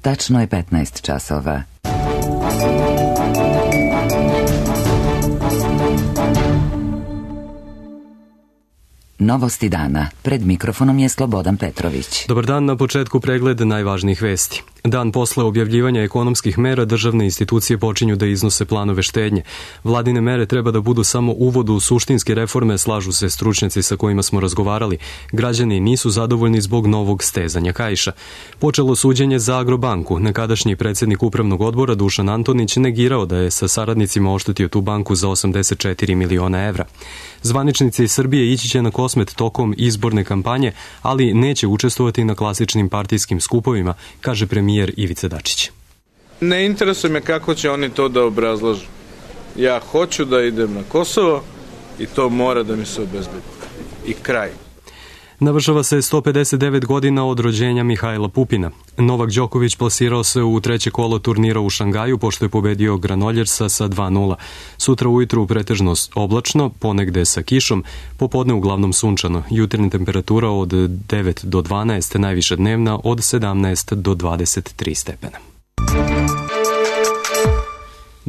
Tačno je 15 časova. Novosti dana. Pred mikrofonom je Slobodan Petrović. Dobar dan, na početku pregled najvažnijih vesti. Dan posle objavljivanja ekonomskih mera, državne institucije počinju da iznose planove štednje. Vladine mere treba da budu samo uvod u suštinske reforme, slažu se stručnjaci sa kojima smo razgovarali. Građani nisu zadovoljni zbog novog stezanja kaiša. Počelo suđenje za Agrobanku. Nekadašnji predsjednik upravnog odbora Dušan Antonić negirao da je sa saradnicima oštetio tu banku za 84 miliona evra. Zvaničnici Srbije ići će na Kosmet tokom izborne kampanje, ali neće učestvovati na klasičnim partijskim skupovima, kaže premijer Ivica Dačić. Ne interesuje me kako će oni to da obrazlažu. Ja hoću da idem na Kosovo i to mora da mi se obezbedi. I kraj. Navršava se 159 godina od rođenja Mihajla Pupina. Novak Đoković plasirao se u treće kolo turnira u Šangaju pošto je pobedio Granoljersa sa 2:0. Sutra ujutru pretežno oblačno, ponegde sa kišom, popodne uglavnom sunčano. Jutarnja temperatura od 9 do 12, najviša dnevna od 17 do 23 stepena.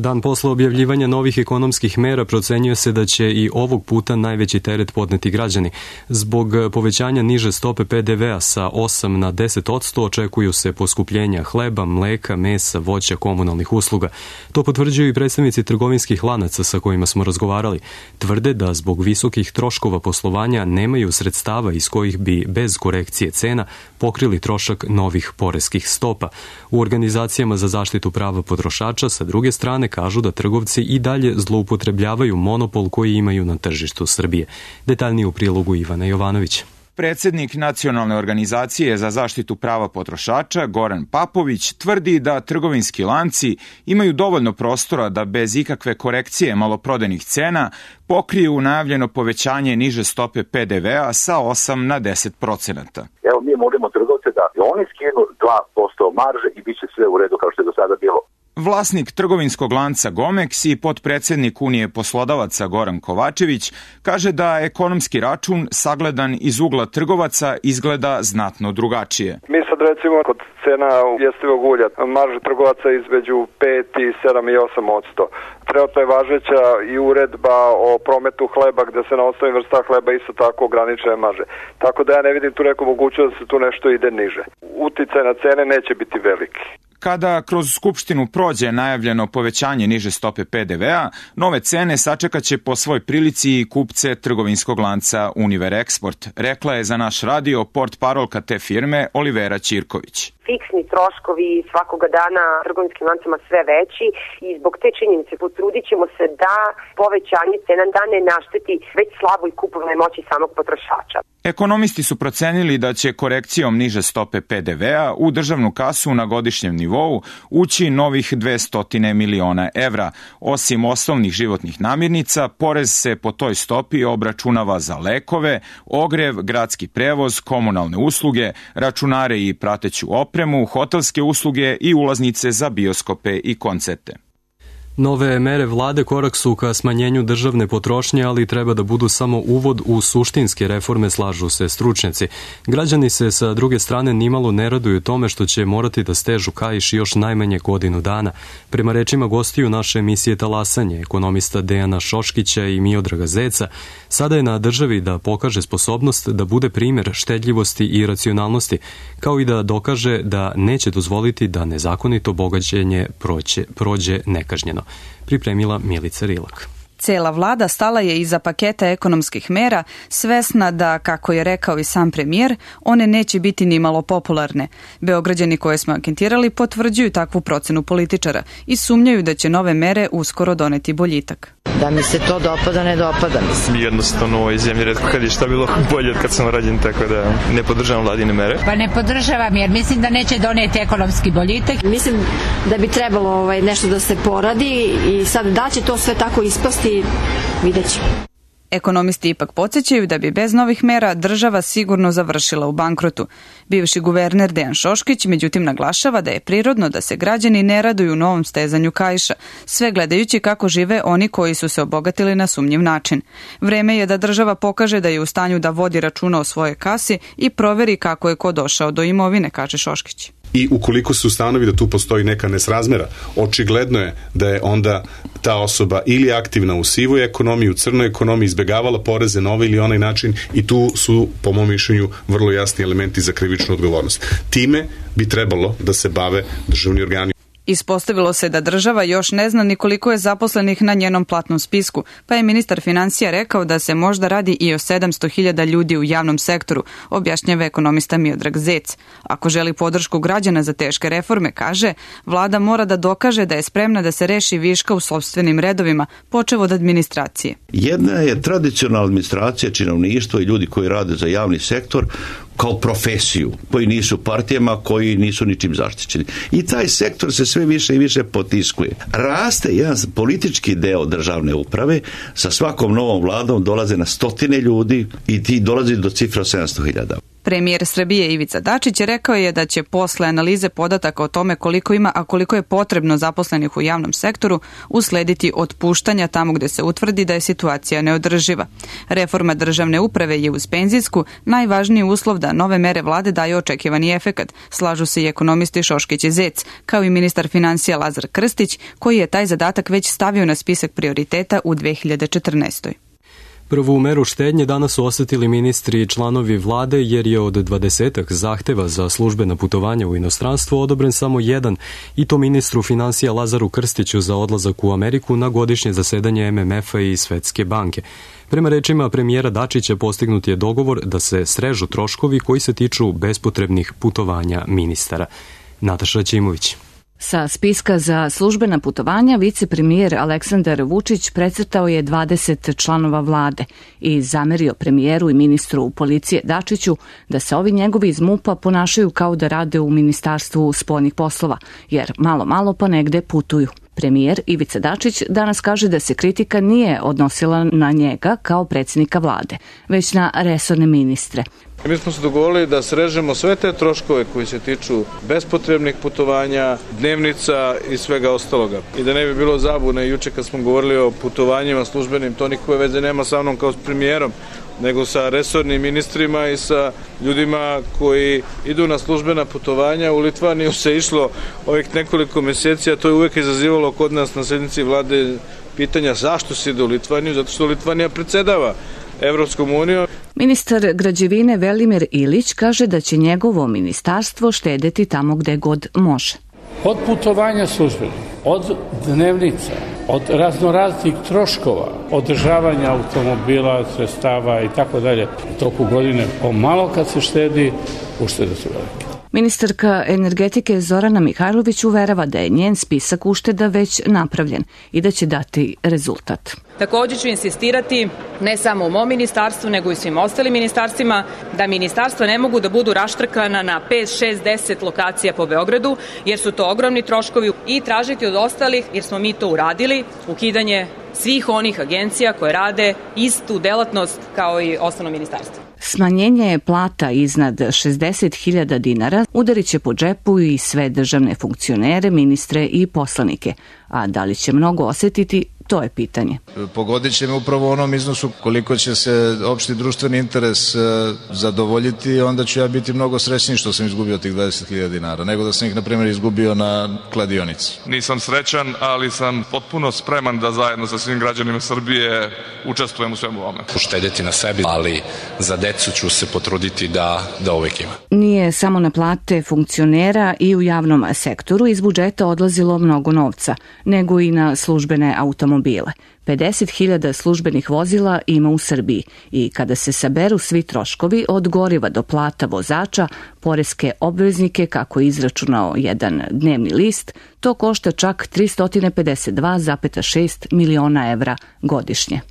Dan posle objavljivanja novih ekonomskih mera procenjuje se da će i ovog puta najveći teret podneti građani. Zbog povećanja niže stope PDV-a sa 8 na 10% očekuju se poskupljenja hleba, mleka, mesa, voća, komunalnih usluga. To potvrđuju i predstavnici trgovinskih lanaca sa kojima smo razgovarali. Tvrde da zbog visokih troškova poslovanja nemaju sredstava iz kojih bi bez korekcije cena pokrili trošak novih poreskih stopa. U organizacijama za zaštitu prava potrošača sa druge strane kažu da trgovci i dalje zloupotrebljavaju monopol koji imaju na tržištu Srbije. Detaljnije u prilogu Ivana Jovanovića. Predsednik Nacionalne organizacije za zaštitu prava potrošača Goran Papović tvrdi da trgovinski lanci imaju dovoljno prostora da bez ikakve korekcije maloprodajnih cena pokriju najavljeno povećanje niže stope PDV-a sa 8 na 10%. Evo, mi molimo trgovce da oni skinu 2% marže i bit će sve u redu kao što je do sada bilo. Vlasnik trgovinskog lanca Gomex i potpredsednik Unije poslodavaca Goran Kovačević kaže da ekonomski račun sagledan iz ugla trgovaca izgleda znatno drugačije. Mi sad recimo kod cena jestivog ulja, marža trgovaca između 5 i 7 i 8%. Trenutno je važeća i uredba o prometu hleba gde se na osnovi vrsta hleba isto tako ograničene marže. Tako da ja ne vidim tu neku mogućnost da se tu nešto ide niže. Uticaj na cene neće biti veliki. Kada kroz Skupštinu prođe najavljeno povećanje niže stope PDV-a, nove cene sačekaće po svoj prilici i kupce trgovinskog lanca Univer Export, rekla je za naš radio portparolka te firme Olivera Ćirković. Fiksni troškovi svakoga dana trgovinskim lancima sve veći i zbog te činjenice potrudit ćemo se da povećanje cena da ne našteti već slaboj kupovnoj moći samog potrošača. Ekonomisti su procenili da će korekcijom niže stope PDV-a u državnu kasu na godišnjem nivou ući novih 200 miliona evra. Osim osnovnih životnih namirnica, porez se po toj stopi obračunava za lekove, ogrev, gradski prevoz, komunalne usluge, računare i prateću opremu, hotelske usluge i ulaznice za bioskope i koncerte. Nove mere vlade korak su ka smanjenju državne potrošnje, ali treba da budu samo uvod u suštinske reforme, slažu se stručnjaci. Građani se sa druge strane nimalo ne raduju tome što će morati da stežu kaiš još najmanje godinu dana. Prema rečima gostiju naše emisije Talasanje, ekonomista Dejana Šoškića i Miodraga Zeca, sada je na državi da pokaže sposobnost da bude primjer štedljivosti i racionalnosti, kao i da dokaže da neće dozvoliti da nezakonito bogaćenje prođe nekažnjeno. Pripremila Milica Rilak. Cela vlada stala je iza paketa ekonomskih mera, svesna da, kako je rekao i sam premijer, one neće biti ni malo popularne. Beograđani koje smo anketirali potvrđuju takvu procenu političara i sumnjaju da će nove mere uskoro doneti boljitak. Da mi se to dopada, ne dopada mi se. Jednostavno u ovoj zemlji retko kad je šta bilo bolje od kad sam rođen, tako da ne podržavam vladine mere. Pa ne podržavam jer mislim da neće doneti ekonomski boljitak. Mislim da bi trebalo nešto da se poradi i sad da će to sve tako ispasti, vidjet ćemo. Ekonomisti ipak podsjećaju da bi bez novih mera država sigurno završila u bankrotu. Bivši guverner Dejan Šoškić međutim naglašava da je prirodno da se građani ne raduju novom stezanju kaiša, sve gledajući kako žive oni koji su se obogatili na sumnjiv način. Vreme je da država pokaže da je u stanju da vodi računa o svojoj kasi i proveri kako je ko došao do imovine, kaže Šoškić. I ukoliko se ustanovi da tu postoji neka nesrazmera, očigledno je da je onda ta osoba ili aktivna u sivoj ekonomiji, u crnoj ekonomiji, izbegavala poreze na ovaj ili onaj način i tu su, po mom mišljenju, vrlo jasni elementi za krivičnu odgovornost. Time bi trebalo da se bave državni organi. Ispostavilo se da država još ne zna ni koliko je zaposlenih na njenom platnom spisku, pa je ministar financija rekao da se možda radi i o 700.000 ljudi u javnom sektoru, objašnjava ekonomista Miodrag Zec. Ako želi podršku građana za teške reforme, kaže, vlada mora da dokaže da je spremna da se reši viška u sopstvenim redovima, počev od administracije. Jedna je tradicionalna administracija, činovništvo i ljudi koji rade za javni sektor, kao profesiju, koji nisu partijama, koji nisu ničim zaštićeni. I taj sektor se sve više i više potiskuje. Raste jedan politički deo državne uprave, sa svakom novom vladom dolaze na stotine ljudi i ti dolazi do cifra 700.000. Premijer Srbije Ivica Dačić rekao je da će posle analize podataka o tome koliko ima, a koliko je potrebno zaposlenih u javnom sektoru, uslediti otpuštanja tamo gde se utvrdi da je situacija neodrživa. Reforma državne uprave je uz penzijsku najvažniji uslov da nove mere vlade daju očekivani efekat, slažu se i ekonomisti Šoškić i Zec, kao i ministar financija Lazar Krstić, koji je taj zadatak već stavio na spisak prioriteta u 2014. Prvu meru štednje danas su osetili ministri i članovi vlade jer je od 20 zahteva za službena putovanja u inostranstvo odobren samo jedan, i to ministru financija Lazaru Krstiću za odlazak u Ameriku na godišnje zasedanje MMF-a i Svetske banke. Prema rečima premijera Dačića postignut je dogovor da se srežu troškovi koji se tiču bespotrebnih putovanja ministara. Nataša Ćimović. Sa spiska za službena putovanja vicepremijer Aleksandar Vučić precrtao je 20 članova vlade i zamerio premijeru i ministru policije Dačiću da se ovi njegovi iz MUP-a ponašaju kao da rade u Ministarstvu spoljnih poslova, jer malo pa negde putuju. Premijer Ivica Dačić danas kaže da se kritika nije odnosila na njega kao predsjednika vlade, već na resorne ministre. Mi smo se dogovorili da srežemo sve te troškove koji se tiču bespotrebnih putovanja, dnevnica i svega ostaloga. I da ne bi bilo zabune, juče kad smo govorili o putovanjima službenim, to nikakve veze nema sa mnom kao s premijerom, nego sa resornim ministrima i sa ljudima koji idu na službena putovanja. U Litvaniju se išlo ovih nekoliko meseci, a to je uvek izazivalo kod nas na sednici vlade pitanja zašto se ide u Litvaniju, zato što Litvanija predsedava Evropskom unijom. Ministar građevine Velimir Ilić kaže da će njegovo ministarstvo štedeti tamo gde god može. Od putovanja službenih, od dnevnica, od raznoraznih troškova, održavanja automobila, sredstava i tako dalje, u toku godine pomalo kad se štedi, uštede su velike. Ministarka energetike Zorana Mihajlović uverava da je njen spisak ušteda već napravljen i da će dati rezultat. Također ću insistirati, ne samo u mom ministarstvu, nego i svim ostalim ministarstvima, da ministarstva ne mogu da budu raštrkana na 5, 6, 10 lokacija po Beogradu, jer su to ogromni troškovi, i tražiti od ostalih, jer smo mi to uradili, ukidanje svih onih agencija koje rade istu delatnost kao i osnovno ministarstvo. Smanjenje plata iznad 60.000 dinara udarit će po džepu i sve državne funkcionere, ministre i poslanike. A da li će mnogo osetiti, to je pitanje. Pogodit će me upravo u onom iznosu koliko će se opšti društveni interes zadovoljiti, onda ću ja biti mnogo srećniji što sam izgubio tih 20.000 dinara, nego da sam ih, na primjer, izgubio na kladionici. Nisam srećan, ali sam potpuno spreman da zajedno sa svim građanima Srbije učestvujem u svemu ovome. Uštedeti na sebi, ali za decu ću se potruditi da uvek ima. Nije samo na plate funkcionera i u javnom sektoru iz budžeta odlazilo mnogo novca, nego i na službene automobile. 50.000 službenih vozila ima u Srbiji i kada se saberu svi troškovi od goriva do plata vozača, poreske obveznike, kako je izračunao jedan dnevni list, to košta čak 352,6 miliona evra godišnje.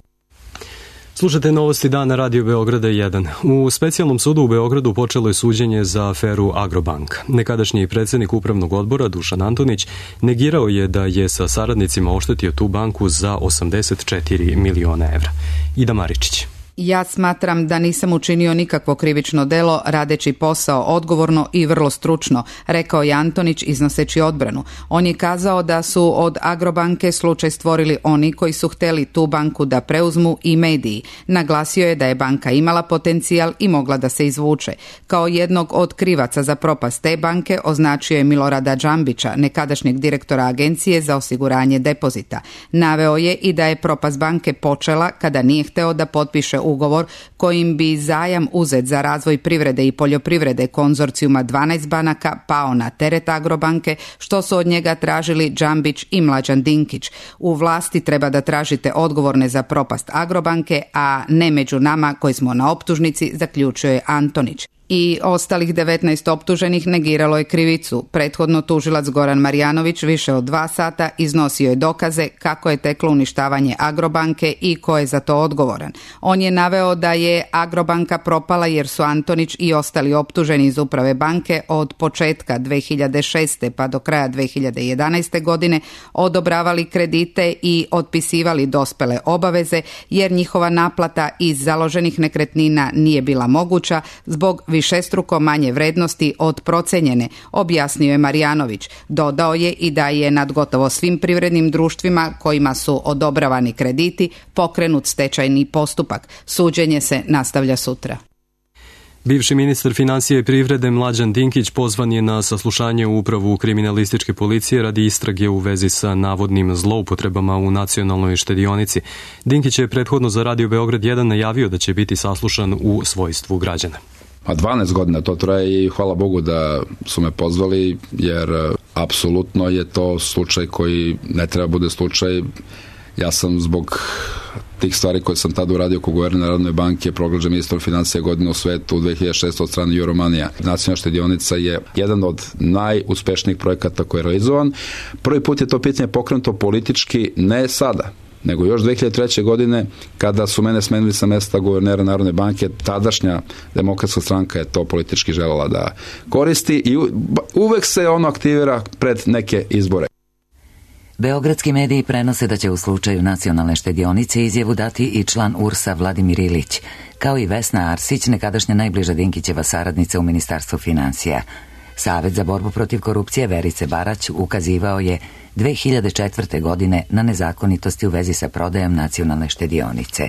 Slušate novosti dana Radio Beograda 1. U specijalnom sudu u Beogradu počelo je suđenje za aferu Agrobank. Nekadašnji predsjednik upravnog odbora Dušan Antonić negirao je da je sa saradnicima oštetio tu banku za 84 miliona evra. Ida Maričić. Ja smatram da nisam učinio nikakvo krivično delo radeći posao odgovorno i vrlo stručno, rekao je Antonić iznoseći odbranu. On je kazao da su od Agrobanke slučaj stvorili oni koji su hteli tu banku da preuzmu i mediji. Naglasio je da je banka imala potencijal i mogla da se izvuče. Kao jednog od krivaca za propast te banke označio je Milorada Džambića, nekadašnjeg direktora Agencije za osiguranje depozita. Naveo je i da je propast banke počela kada nije hteo da potpiše ugovor kojim bi zajam uzet za razvoj privrede i poljoprivrede konzorcijuma 12 banaka pao na teret Agrobanke, što su od njega tražili Džambić i Mlađan Dinkić. U vlasti treba da tražite odgovorne za propast Agrobanke, a ne među nama koji smo na optužnici, zaključio je Antonić. I ostalih 19 optuženih negiralo je krivicu. Prethodno tužilac Goran Marjanović više od 2 sata iznosio je dokaze kako je teklo uništavanje Agrobanke i ko je za to odgovoran. On je naveo da je Agrobanka propala jer su Antonić i ostali optuženi iz uprave banke od početka 2006. pa do kraja 2011. godine odobravali kredite i otpisivali dospele obaveze jer njihova naplata iz založenih nekretnina nije bila moguća zbog višestruko manje vrednosti od procenjene, objasnio je Marjanović. Dodao je i da je nad gotovo svim privrednim društvima kojima su odobravani krediti pokrenut stečajni postupak. Suđenje se nastavlja sutra. Bivši ministar financije i privrede Mlađan Dinkić pozvan je na saslušanje u upravu kriminalističke policije radi istrage u vezi sa navodnim zloupotrebama u nacionalnoj štedionici. Dinkić je prethodno za Radio Beograd 1 najavio da će biti saslušan u svojstvu građana. 12 godina to traje i hvala Bogu da su me pozvali, jer apsolutno je to slučaj koji ne treba bude slučaj. Ja sam zbog tih stvari koje sam tada uradio kao guverner Narodne banke proglašen ministrom financija godine u svetu u 2006. od strane Euromonija. Nacionalna štedionica je jedan od najuspešnijih projekata koji je realizovan. Prvi put je to pitanje pokrenuto politički ne sada, nego još 2003. godine kada su mene smenili sa mesta guvernera Narodne banke, tadašnja Demokratska stranka je to politički želela da koristi i uvek se ono aktivira pred neke izbore. Beogradski mediji prenose da će u slučaju nacionalne štedionice izjavu dati i član URS-a Vladimir Ilić, kao i Vesna Arsić, nekadašnja najbliža Dinkićeva saradnica u Ministarstvu financija. Savet za borbu protiv korupcije Verice Barać ukazivao je 2004. godine na nezakonitosti u vezi sa prodajom nacionalne štedionice.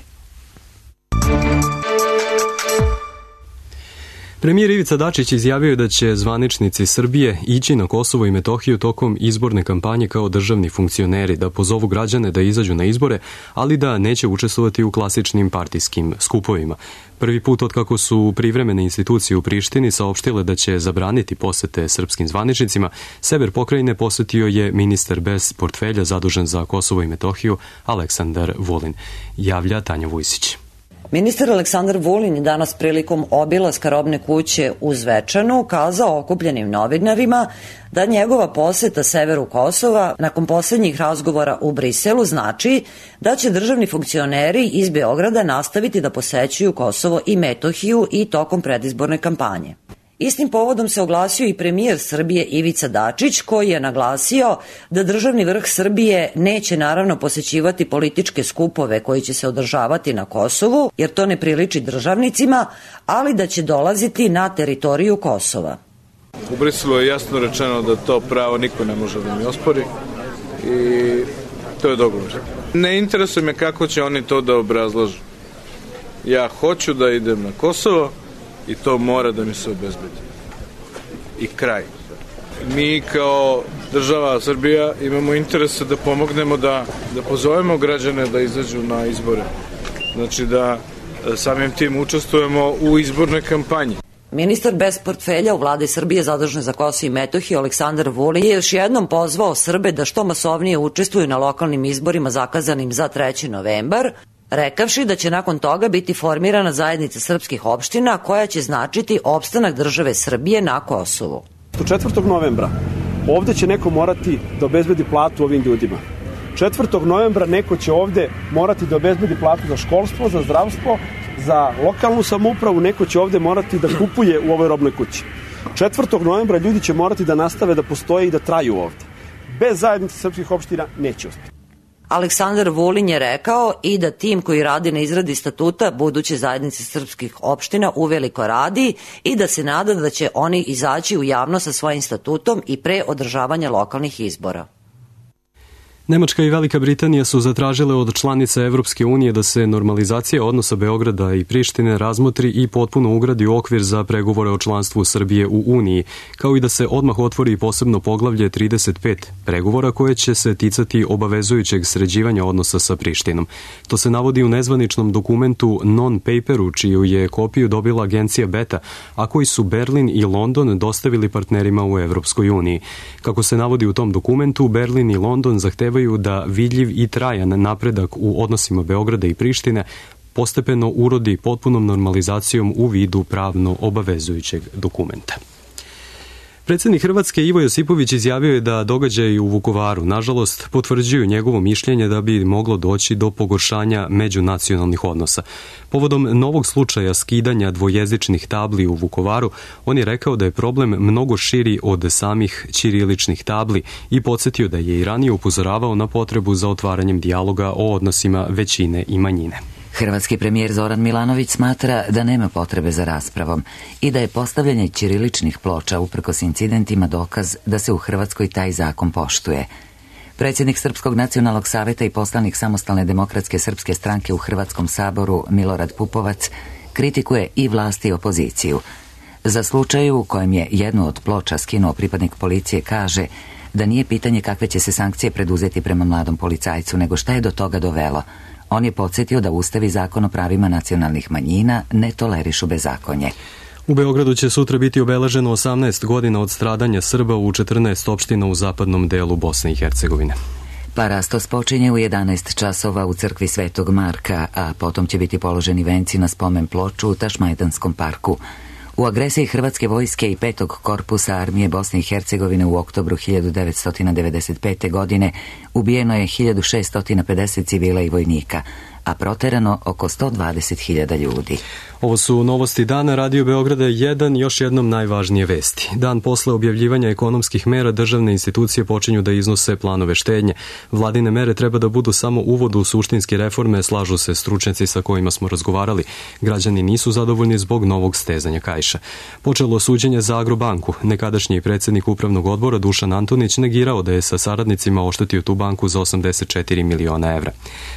Premijer Ivica Dačić izjavio je da će zvaničnici Srbije ići na Kosovo i Metohiju tokom izborne kampanje kao državni funkcioneri, da pozovu građane da izađu na izbore, ali da neće učestvovati u klasičnim partijskim skupovima. Prvi put od kako su privremene institucije u Prištini saopštile da će zabraniti posete srpskim zvaničnicima, sever pokrajine posetio je ministar bez portfelja zadužen za Kosovo i Metohiju Aleksandar Vulin. Javlja Tanja Vujsić. Ministar Aleksandar Vulin je danas prilikom obilaska robne kuće u Zvečanu kazao okupljenim novinarima da njegova poseta severu Kosova nakon poslednjih razgovora u Briselu znači da će državni funkcioneri iz Beograda nastaviti da posećuju Kosovo i Metohiju i tokom predizborne kampanje. Istim povodom se oglasio i premijer Srbije Ivica Dačić, koji je naglasio da državni vrh Srbije neće naravno posećivati političke skupove koji će se održavati na Kosovu, jer to ne priliči državnicima, ali da će dolaziti na teritoriju Kosova. U Briselu je jasno rečeno da to pravo niko ne može da mi ospori i to je dogovor. Ne interesuje me kako će oni to da obrazlažu. Ja hoću da idem na Kosovo i to mora da mi se obezbedi. I kraj. Mi kao država Srbija imamo interese da pomognemo da pozovemo građane da izađu na izbore. Znači da samim tim učestvujemo u izbornoj kampanji. Ministar bez portfelja u vladi Srbije zadužen za Kosovo i Metohiju Aleksandar Vulin je još jednom pozvao Srbe da što masovnije učestvuju na lokalnim izborima zakazanim za 3. novembar, rekavši da će nakon toga biti formirana zajednica srpskih opština koja će značiti opstanak države Srbije na Kosovu. 4. novembra ovde će neko morati da obezbedi platu ovim ljudima. 4. novembra neko će ovde morati da obezbedi platu za školstvo, za zdravstvo, za lokalnu samoupravu, neko će ovde morati da kupuje u ovoj robnoj kući. 4. novembra ljudi će morati da nastave da postoje i da traju ovde. Bez zajednice srpskih opština neće uspjeti. Aleksandar Vulin je rekao i da tim koji radi na izradi statuta buduće zajednice srpskih opština uveliko radi i da se nada da će oni izaći u javnost sa svojim statutom i pre održavanja lokalnih izbora. Nemačka i Velika Britanija su zatražile od članica Evropske unije da se normalizacija odnosa Beograda i Prištine razmotri i potpuno ugradi u okvir za pregovore o članstvu Srbije u Uniji, kao i da se odmah otvori posebno poglavlje 35 pregovora koje će se ticati obavezujućeg sređivanja odnosa sa Prištinom. To se navodi u nezvaničnom dokumentu non-paperu, čiju je kopiju dobila agencija Beta, a koji su Berlin i London dostavili partnerima u Evropskoj uniji. Kako se navodi u tom dokumentu, Berlin i London zahtevaju da vidljiv i trajan napredak u odnosima Beograda i Prištine postepeno urodi potpunom normalizacijom u vidu pravno obavezujućeg dokumenta. Predsjednik Hrvatske Ivo Josipović izjavio je da događaji u Vukovaru, nažalost, potvrđuju njegovo mišljenje da bi moglo doći do pogoršanja međunacionalnih odnosa. Povodom novog slučaja skidanja dvojezičnih tabli u Vukovaru, on je rekao da je problem mnogo širi od samih ćiriličnih tabli i podsjetio da je i ranije upozoravao na potrebu za otvaranjem dijaloga o odnosima većine i manjine. Hrvatski premijer Zoran Milanović smatra da nema potrebe za raspravom i da je postavljanje ćiriličnih ploča uprkos incidentima dokaz da se u Hrvatskoj taj zakon poštuje. Predsjednik Srpskog nacionalnog saveta i poslanik Samostalne demokratske srpske stranke u Hrvatskom saboru Milorad Pupovac kritikuje i vlast i opoziciju. Za slučaju u kojem je jednu od ploča skinuo pripadnik policije kaže da nije pitanje kakve će se sankcije preduzeti prema mladom policajcu, nego šta je do toga dovelo. On je podsjetio da Ustav i Zakon o pravima nacionalnih manjina ne tolerišu bezakonje. U Beogradu će sutra biti obeleženo 18 godina od stradanja Srba u 14 opština u zapadnom delu Bosne i Hercegovine. Parastos počinje u 11 časova u crkvi Svetog Marka, a potom će biti položeni venci na spomen ploču u Tašmajdanskom parku. U agresiji Hrvatske vojske i 5. korpusa armije Bosne i Hercegovine u oktobru 1995. godine ubijeno je 1650 civila i vojnika, a proterano oko 120.000 ljudi. Ovo su novosti dana. Radio Beograda 1, još jednom najvažnije vesti. Dan posle objavljivanja ekonomskih mera državne institucije počinju da iznose planove štednje. Vladine mere treba da budu samo uvod u suštinske reforme, slažu se stručnjaci sa kojima smo razgovarali. Građani nisu zadovoljni zbog novog stezanja kaiša. Počelo suđenje za Agrobanku. Nekadašnji predsjednik upravnog odbora Dušan Antonić negirao da je sa saradnicima oštetio tu banku za 84 miliona evra.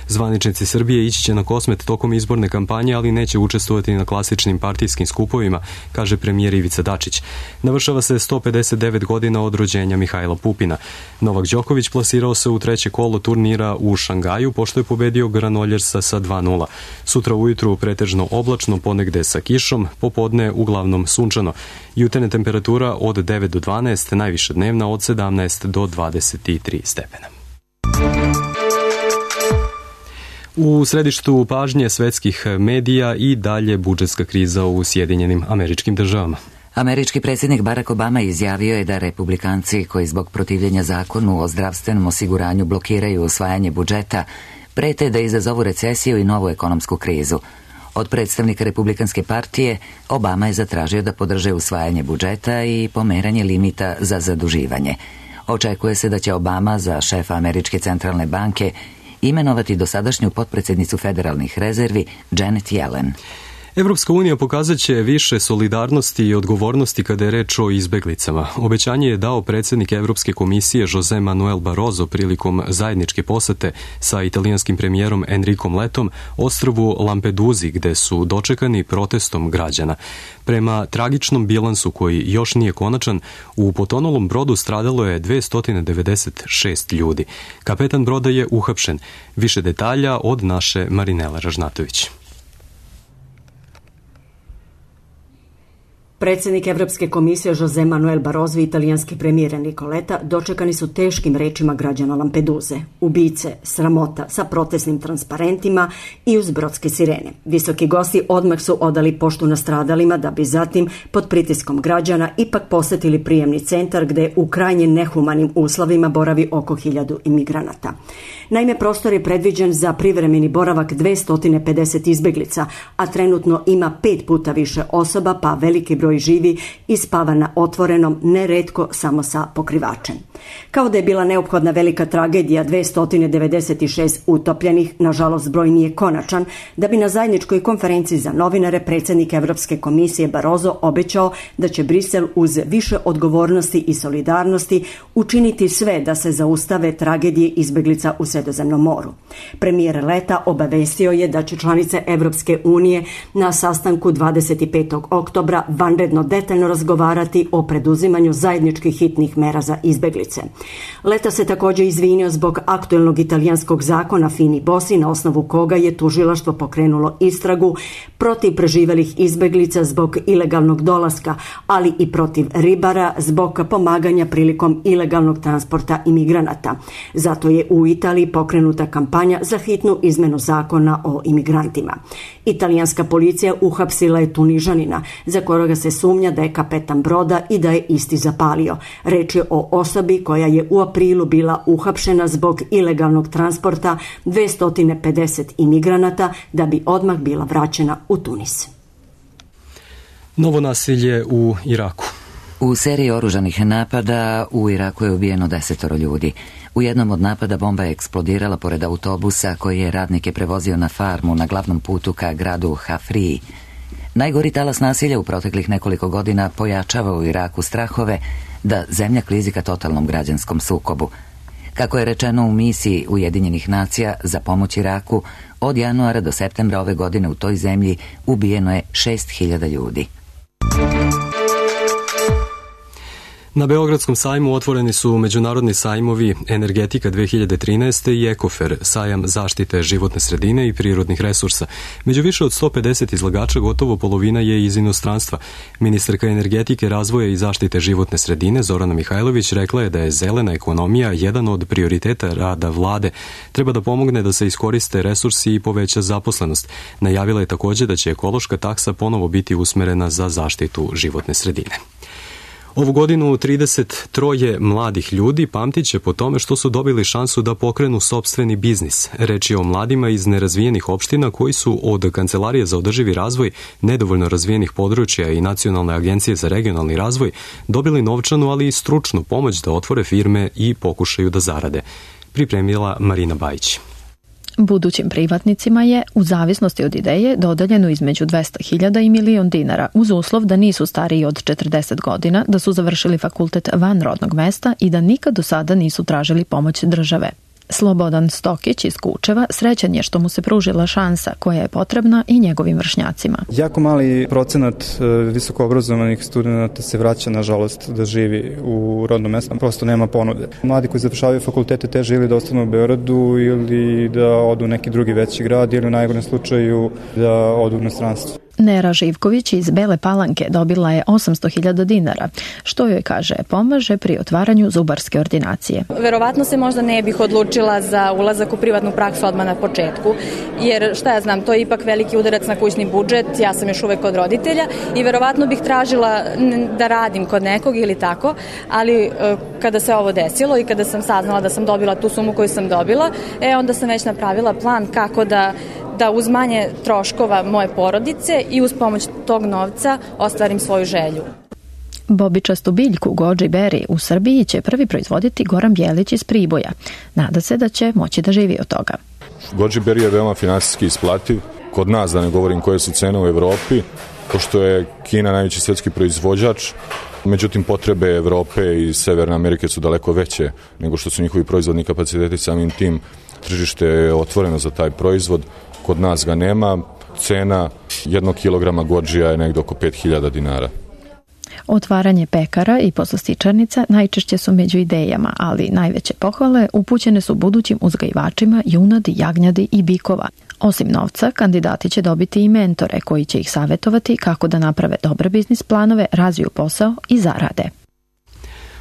Zvaničnici Srbije ići će na Kosmet tokom izborne kampanje, ali neće učestvovati na klasičnim partijskim skupovima, kaže premijer Ivica Dačić. Navršava se 159 godina od rođenja Mihajla Pupina. Novak Đoković plasirao se u treće kolo turnira u Šangaju, pošto je pobedio Granoljersa sa 2:0. Sutra ujutru pretežno oblačno, ponegde sa kišom, popodne uglavnom sunčano. Jutarnja temperatura od 9 do 12, najviša dnevna od 17 do 23 stepena. U središtu pažnje svetskih medija i dalje budžetska kriza u Sjedinjenim Američkim Državama. Američki predsjednik Barack Obama izjavio je da republikanci koji zbog protivljenja zakonu o zdravstvenom osiguranju blokiraju usvajanje budžeta prete da izazovu recesiju i novu ekonomsku krizu. Od predstavnika Republikanske partije Obama je zatražio da podrže usvajanje budžeta i pomeranje limita za zaduživanje. Očekuje se da će Obama za šefa Američke centralne banke imenovati dosadašnju potpredsjednicu federalnih rezervi Janet Yellen. Evropska unija pokazat će više solidarnosti i odgovornosti kada je reč o izbeglicama. Obećanje je dao predsjednik Evropske komisije José Manuel Barroso prilikom zajedničke posete sa italijanskim premijerom Enricom Letom ostrvu Lampeduzi, gde su dočekani protestom građana. Prema tragičnom bilansu koji još nije konačan, u potonulom brodu stradalo je 296 ljudi. Kapetan broda je uhapšen. Više detalja od naše Marinele Ražnatović. Predsjednik Evropske komisije José Manuel Barroso i italijanski premijer Enrico Letta dočekani su teškim rečima građana Lampeduze. Ubice, sramota, sa protestnim transparentima i uz brodske sirene. Visoki gosti odmah su odali poštu nastradalima da bi zatim, pod pritiskom građana, ipak posetili prijemni centar gde u krajnje nehumanim uslovima boravi oko 1000 imigranata. Naime, prostor je predviđen za privremeni boravak 250 izbeglica, a trenutno ima 5 puta više osoba, pa veliki broj njoj živi i spava na otvorenom, neretko samo sa pokrivačem. Kao da je bila neophodna velika tragedija 296 utopljenih, nažalost broj nije konačan, da bi na zajedničkoj konferenciji za novinare predsjednik Evropske komisije Barroso obećao da će Brisel uz više odgovornosti i solidarnosti učiniti sve da se zaustave tragedije izbeglica u Sredozemnom moru. Premijer Leta obavestio je da će članice Evropske unije na sastanku 25. oktobra vanredno detaljno razgovarati o preduzimanju zajedničkih hitnih mera za izbeglice. Leta se također izvinio zbog aktuelnog italijanskog zakona Fini Bossi, na osnovu koga je tužilaštvo pokrenulo istragu protiv preživelih izbeglica zbog ilegalnog dolaska, ali i protiv ribara zbog pomaganja prilikom ilegalnog transporta imigranata. Zato je u Italiji pokrenuta kampanja za hitnu izmenu zakona o imigrantima. Italijanska policija uhapsila je Tunižanina, za kojega se sumnja da je kapetan broda i da je isti zapalio. Reč je o osobi koja je u aprilu bila uhapšena zbog ilegalnog transporta 250 imigranata, da bi odmah bila vraćena u Tunis. Novo nasilje u Iraku. U seriji oružanih napada u Iraku je ubijeno 10 ljudi. U jednom od napada bomba je eksplodirala pored autobusa koji je radnike prevozio na farmu na glavnom putu ka gradu Hafriji. Najgori talas nasilja u proteklih nekoliko godina pojačava u Iraku strahove da zemlja klizi ka totalnom građanskom sukobu. Kako je rečeno u misiji Ujedinjenih nacija za pomoć Iraku, od januara do septembra ove godine u toj zemlji ubijeno je 6.000 ljudi. Na Beogradskom sajmu otvoreni su međunarodni sajmovi Energetika 2013. i Ekofer, sajam zaštite životne sredine i prirodnih resursa. Među više od 150 izlagača gotovo polovina je iz inostranstva. Ministarka energetike, razvoja i zaštite životne sredine Zorana Mihajlović rekla je da je zelena ekonomija jedan od prioriteta rada vlade. Treba da pomogne da se iskoriste resursi i poveća zaposlenost. Najavila je također da će ekološka taksa ponovo biti usmerena za zaštitu životne sredine. Ovu godinu 33 mladih ljudi pamtit će po tome što su dobili šansu da pokrenu sopstveni biznis. Reč je o mladima iz nerazvijenih opština koji su od Kancelarije za održivi razvoj nedovoljno razvijenih područja i Nacionalne agencije za regionalni razvoj dobili novčanu, ali i stručnu pomoć da otvore firme i pokušaju da zarade. Pripremila Marina Bajić. Budućim privatnicima je, u zavisnosti od ideje, dodeljeno između 200.000 i $1.000.000 uz uslov da nisu stariji od 40 godina, da su završili fakultet van rodnog mesta i da nikad do sada nisu tražili pomoć države. Slobodan Stokić iz Kučeva srećan je što mu se pružila šansa koja je potrebna i njegovim vršnjacima. Jako mali procenat visokoobrazovanih studenta se vraća, nažalost, da živi u rodnom mestu. Prosto nema ponude. Mladi koji završavaju fakultete teže ili da ostanu u Beogradu ili da odu u neki drugi veći grad ili u najgorem slučaju da odu u inostranstvo. Nera Živković iz Bele Palanke dobila je $800.000, što joj, kaže, pomaže pri otvaranju zubarske ordinacije. Verovatno se možda ne bih odlučila za ulazak u privatnu praksu odmah na početku, jer šta ja znam, to je ipak veliki udarac na kućni budžet, ja sam još uvek kod roditelja i verovatno bih tražila da radim kod nekog ili tako, ali kada se ovo desilo i kada sam saznala da sam dobila tu sumu koju sam dobila, onda sam već napravila plan kako da uz manje troškova moje porodice i uz pomoć tog novca ostvarim svoju želju. Bobičastu biljku Goji Berry u Srbiji će prvi proizvoditi Goran Bjelić iz Priboja. Nada se da će moći da živi od toga. Goji Berry je veoma finansijski isplativ. Kod nas, da ne govorim koje su cene u Evropi, pošto je Kina najveći svetski proizvođač, međutim potrebe Evrope i Severne Amerike su daleko veće nego što su njihovi proizvodni kapaciteti, samim tim tržište je otvoreno za taj proizvod. Kod nas ga nema. Cena 1 kilograma gođija je negdje oko $5.000. Otvaranje pekara i poslastičarnica najčešće su među idejama, ali najveće pohvale upućene su budućim uzgajivačima junadi, jagnjadi i bikova. Osim novca, kandidati će dobiti i mentore koji će ih savjetovati kako da naprave dobre biznis planove, razviju posao i zarade.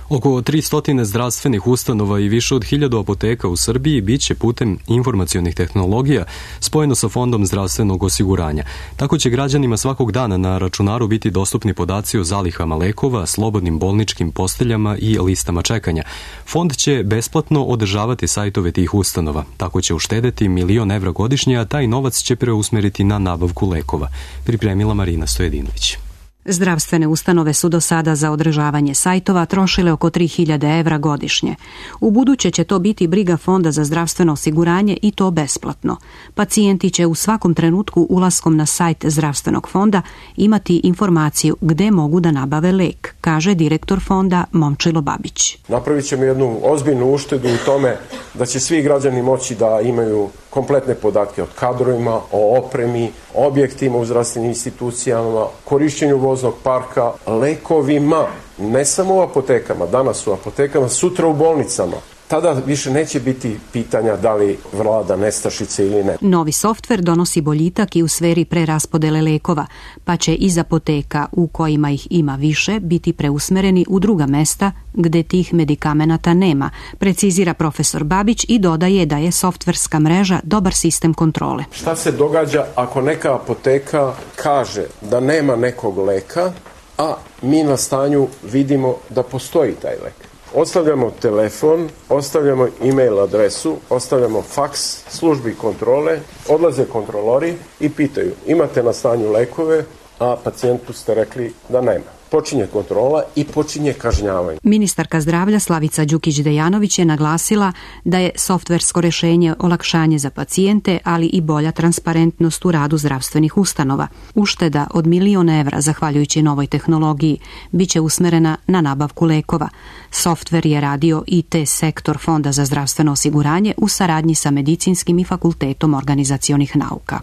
Oko 300 zdravstvenih ustanova i više od 1000 apoteka u Srbiji biće putem informacionih tehnologija spojeno sa Fondom zdravstvenog osiguranja. Tako će građanima svakog dana na računaru biti dostupni podaci o zalihama lekova, slobodnim bolničkim posteljama i listama čekanja. Fond će besplatno održavati sajtove tih ustanova. Tako će uštedeti $1 milion godišnje, a taj novac će preusmeriti na nabavku lekova. Pripremila Marina Stojedinović. Zdravstvene ustanove su do sada za održavanje sajtova trošile oko 3.000 evra godišnje. U buduće će to biti briga Fonda za zdravstveno osiguranje i to besplatno. Pacijenti će u svakom trenutku ulaskom na sajt zdravstvenog fonda imati informaciju gde mogu da nabave lek, kaže direktor fonda Momčilo Babić. Napravit ćemo jednu ozbiljnu uštedu u tome da će svi građani moći da imaju kompletne podatke o kadrovima, o opremi, objektima u zdravstvenim institucijama, korišćenju voznog parka, lekovima, ne samo u apotekama, danas u apotekama, sutra u bolnicama. Tada više neće biti pitanja da li vlada nestašice ili ne. Novi softver donosi boljitak i u sferi preraspodele lekova, pa će iz apoteka u kojima ih ima više biti preusmereni u druga mesta gde tih medikamenata nema, precizira profesor Babić i dodaje da je softverska mreža dobar sistem kontrole. Šta se događa ako neka apoteka kaže da nema nekog leka, a mi na stanju vidimo da postoji taj lek? Ostavljamo telefon, ostavljamo e-mail adresu, ostavljamo faks službi kontrole, odlaze kontrolori i pitaju imate na stanju lekove, a pacijentu ste rekli da nema. Počinje kontrola i počinje kažnjavanje. Ministarka zdravlja Slavica Đukić-Dejanović je naglasila da je softversko rešenje olakšanje za pacijente, ali i bolja transparentnost u radu zdravstvenih ustanova. Ušteda od 1.000.000 evra, zahvaljujući novoj tehnologiji, biće usmerena na nabavku lekova. Softver je radio IT sektor Fonda za zdravstveno osiguranje u saradnji sa Medicinskim i Fakultetom organizacionih nauka.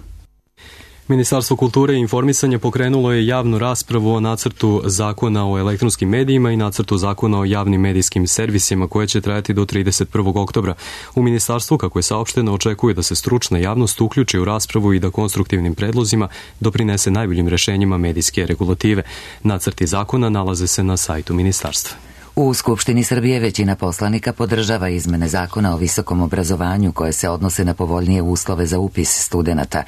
Ministarstvo kulture i informisanja pokrenulo je javnu raspravu o nacrtu zakona o elektronskim medijima i nacrtu zakona o javnim medijskim servisima koje će trajati do 31. oktobra. U ministarstvu, kako je saopšteno, očekuje da se stručna javnost uključi u raspravu i da konstruktivnim predlozima doprinese najboljim rešenjima medijske regulative. Nacrti zakona nalaze se na sajtu ministarstva. U Skupštini Srbije većina poslanika podržava izmene zakona o visokom obrazovanju koje se odnose na povoljnije uslove za upis studenata.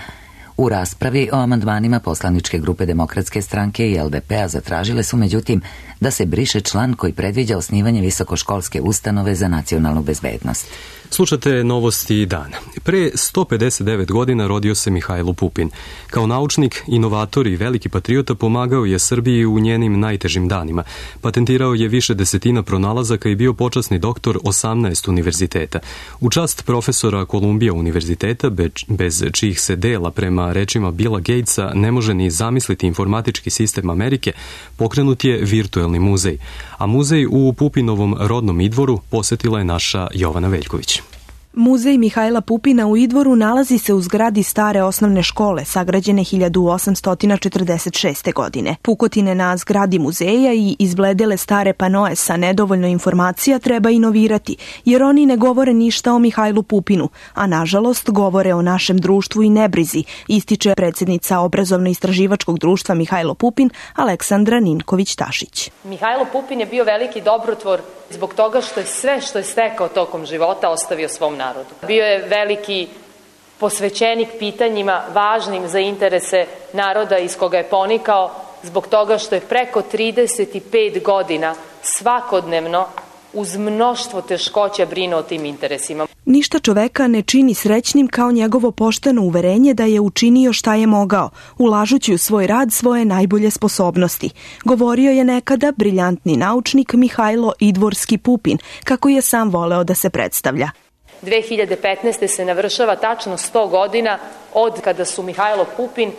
U raspravi o amandmanima poslaničke grupe Demokratske stranke i LDP-a zatražile su međutim da se briše član koji predviđa osnivanje visokoškolske ustanove za nacionalnu bezbednost. Slušate novosti dana. Pre 159 godina rodio se Mihajlo Pupin. Kao naučnik, inovator i veliki patriota pomagao je Srbiji u njenim najtežim danima. Patentirao je više desetina pronalazaka i bio počasni doktor 18 univerziteta. U čast profesora Kolumbija univerziteta, bez čijih se dela prema rečima Billa Gatesa ne može ni zamisliti informatički sistem Amerike, pokrenut je virtuelni muzej. A muzej u Pupinovom rodnom Idvoru posetila je naša Jovana Veljković. Muzej Mihajla Pupina u Idvoru nalazi se u zgradi stare osnovne škole, sagrađene 1846. godine. Pukotine na zgradi muzeja i izbledele stare panoe sa nedovoljno informacija treba inovirati, jer oni ne govore ništa o Mihajlu Pupinu, a nažalost govore o našem društvu i nebrizi, ističe predsjednica Obrazovno-istraživačkog društva Mihajlo Pupin, Aleksandra Ninković-Tašić. Mihajlo Pupin je bio veliki dobrotvor zbog toga što je sve što je stekao tokom života ostavio svom narodu. Bio je veliki posvećenik pitanjima važnim za interese naroda iz koga je ponikao, zbog toga što je preko 35 godina svakodnevno uz mnoštvo teškoća brinuo o tim interesima. Ništa čoveka ne čini srećnim kao njegovo pošteno uverenje da je učinio šta je mogao, ulažući u svoj rad svoje najbolje sposobnosti. Govorio je nekada briljantni naučnik Mihajlo Idvorski Pupin, kako je sam voleo da se predstavlja. 2015. se navršava tačno 100 godina od kada su Mihajlo Pupin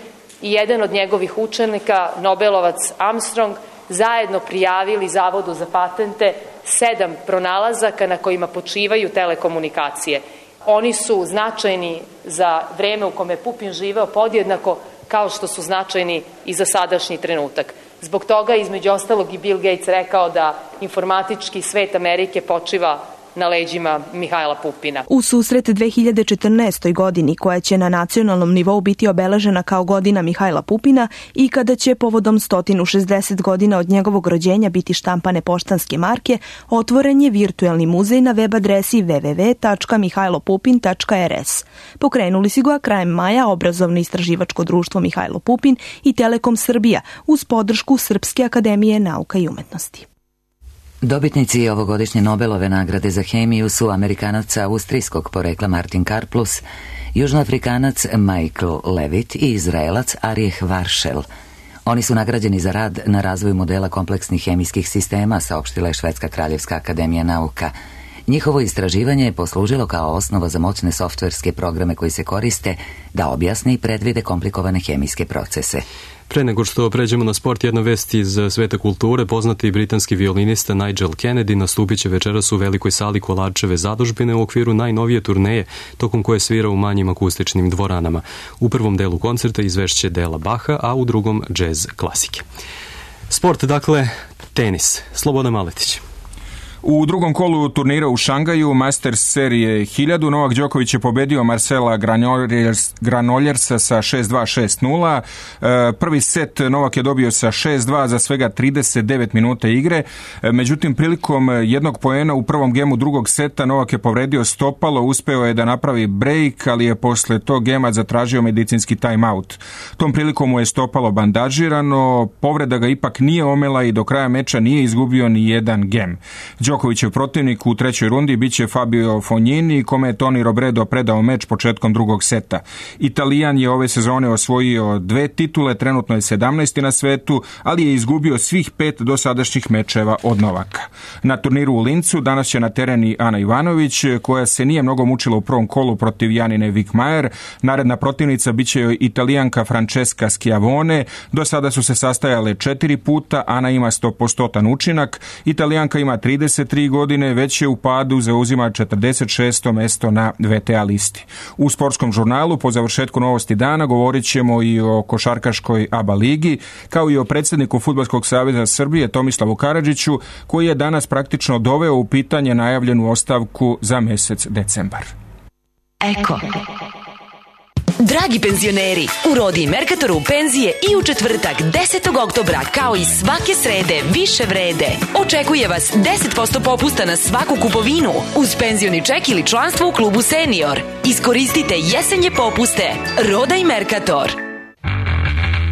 i jedan od njegovih učenika, Nobelovac Armstrong, zajedno prijavili Zavodu za patente 7 pronalazaka na kojima počivaju telekomunikacije. Oni su značajni za vreme u kome je Pupin živeo podjednako kao što su značajni i za sadašnji trenutak. Zbog toga između ostalog i Bill Gates rekao da informatički svet Amerike počiva na leđima Mihajla Pupina. U susret 2014. godini, koja će na nacionalnom nivou biti obeležena kao godina Mihajla Pupina i kada će povodom 160 godina od njegovog rođenja biti štampane poštanske marke, otvoren je virtuelni muzej na web adresi www.mihajlopupin.rs. Pokrenuli su ga krajem maja Obrazovno-istraživačko društvo Mihajlo Pupin i Telekom Srbija uz podršku Srpske akademije nauka i umetnosti. Dobitnici ovogodišnje Nobelove nagrade za hemiju su Amerikanac austrijskog porekla Martin Karplus, Južnoafrikanac Michael Levitt i Izraelac Arijeh Varšel. Oni su nagrađeni za rad na razvoju modela kompleksnih hemijskih sistema, saopštila je Švedska kraljevska akademija nauka. Njihovo istraživanje je poslužilo kao osnova za moćne softverske programe koji se koriste da objasne i predvide komplikovane hemijske procese. Pre nego što pređemo na sport, jedna vest iz sveta kulture. Poznati britanski violinista Nigel Kennedy nastupit će večeras u velikoj sali Kolarčeve zadužbine u okviru najnovije turneje, tokom koje svira u manjim akustičnim dvoranama. U prvom delu koncerta izvešće dela Baha, a u drugom džez klasike. Sport, dakle, tenis. Slobodan Maletić. U drugom kolu turnira u Šangaju, Masters serije 1000, Novak Đoković je pobedio Marcela Granoljersa sa 6-2, 6-0. Prvi set Novak je dobio sa 6-2 za svega 39 minuta igre. Međutim, prilikom jednog poena u prvom gemu drugog seta Novak je povredio stopalo, uspeo je da napravi break, ali je posle tog gema zatražio medicinski timeout. Tom prilikom mu je stopalo bandažirano, povreda ga ipak nije omela i do kraja meča nije izgubio ni jedan gem. Đokovićev protivnik u trećoj rundi biće Fabio Fognini, kome je Toni Robredo predao meč početkom drugog seta. Italijan je ove sezone osvojio 2 titule, trenutno je 17. na svetu, ali je izgubio svih 5 dosadašnjih mečeva od Novaka. Na turniru u Lincu danas će na teren i Ana Ivanović, koja se nije mnogo mučila u prvom kolu protiv Janine Wickmajer. Naredna protivnica biće joj Italijanka Francesca Schiavone. Do sada su se sastajale 4 puta, Ana ima 100% učinak, Italijanka ima 33 godine, već je u padu, zauzima 46. mesto na VTA listi. U sportskom žurnalu po završetku novosti dana govorit ćemo i o košarkaškoj ABA ligi, kao i o predsjedniku Fudbalskog saveza Srbije Tomislavu Karadžiću, koji je danas praktično doveo u pitanje najavljenu ostavku za mesec decembar. Eko. Dragi penzioneri, u Rodi i Merkatoru penzije i u četvrtak 10. oktobra kao i svake srede više vrede. Očekuje vas 10% popusta na svaku kupovinu uz penzioni ček ili članstvo u klubu Senior. Iskoristite jesenje popuste. Roda i Merkator.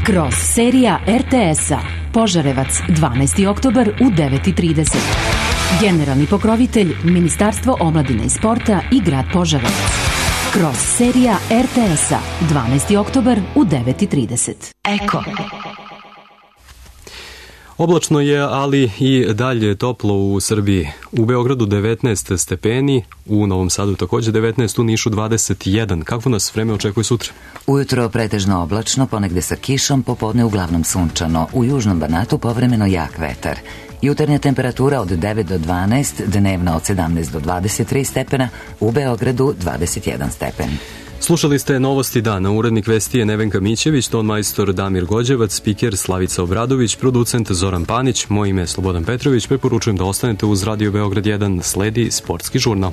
Kroz serija RTS-a Požarevac 12. oktobar u 9:30. Generalni pokrovitelj Ministarstvo omladine i sporta i grad Požarevac. Kroz serija RTS-a 12. oktobar u 9:30. Eko. Oblačno je, ali i dalje toplo u Srbiji. U Beogradu 19 stepeni, u Novom Sadu također 19, u Nišu 21. Kakvo nas vreme očekuje sutra? Ujutro pretežno oblačno, ponegde sa kišom, popodne uglavnom sunčano. U južnom Banatu povremeno jak vetar. Jutarnja temperatura od 9 do 12, dnevna od 17 do 23 stepena, u Beogradu 21 stepen. Slušali ste novosti dana. Urednik vesti je Nevenka Mićević, ton majstor Damir Gođevac, spiker Slavica Obradović, producent Zoran Panić, moje ime je Slobodan Petrović. Preporučujem da ostanete uz Radio Beograd 1, sledi sportski žurnal.